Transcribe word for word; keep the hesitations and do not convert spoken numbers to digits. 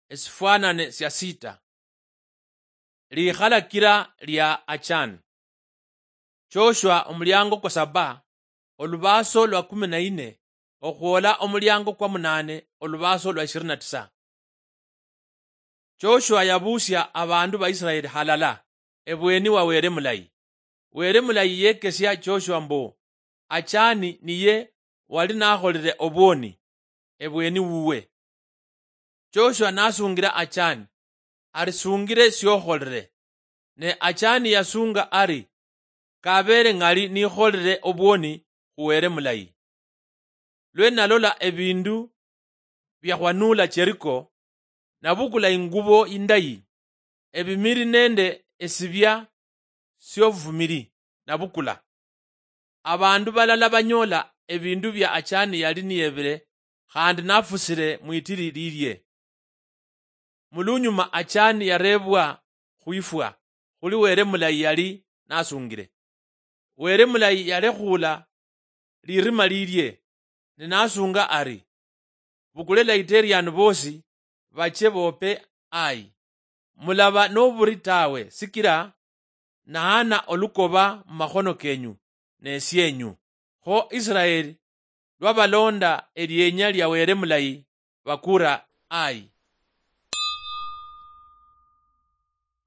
Esifwanane sia sita. Likhalakira lia Achan. Joshua omuliango kwa saba, olubaaso lwa kumi na ine, okhwola omuliango kwa munane, olubaaso lwa ishirini na tisa. Joshua yabuusia abandu ba Israeli halala ebweni wa Were Mulayi. Were Mulayi yekesia Joshua mbu Achani niye wali nakholile obwoni ebweni wuwe. Joshua nasungira Achani ari, "Sungire siokholile." Ne Achani yasunga ari, "Kabeere ng'ali nikholile obwoni khu Were Mulayi, lwe nalola ebindu biakhwanula Jeriko, nabukula ingubo indayi, ebimili nende esibia siobufumili nabukula." Abandu balala banyola ebindu bia Achani yali niyebile khandi nafusile mwitili lilie. Mulunyuma Achani yarebwa khwifwa khuli Were Mulayi yali nasungile. Were Mulayi yalekhuula lirima lilie, ne nasunga ari, "Bukule Laiteriani bosi bache bope Ayi. Mulaba noburi tawe, sikila naana olukoba mumakhono kenyu nesienyu." Kho Israeli lwabalonda elienya lia Were Mulayi, bakura Ayi.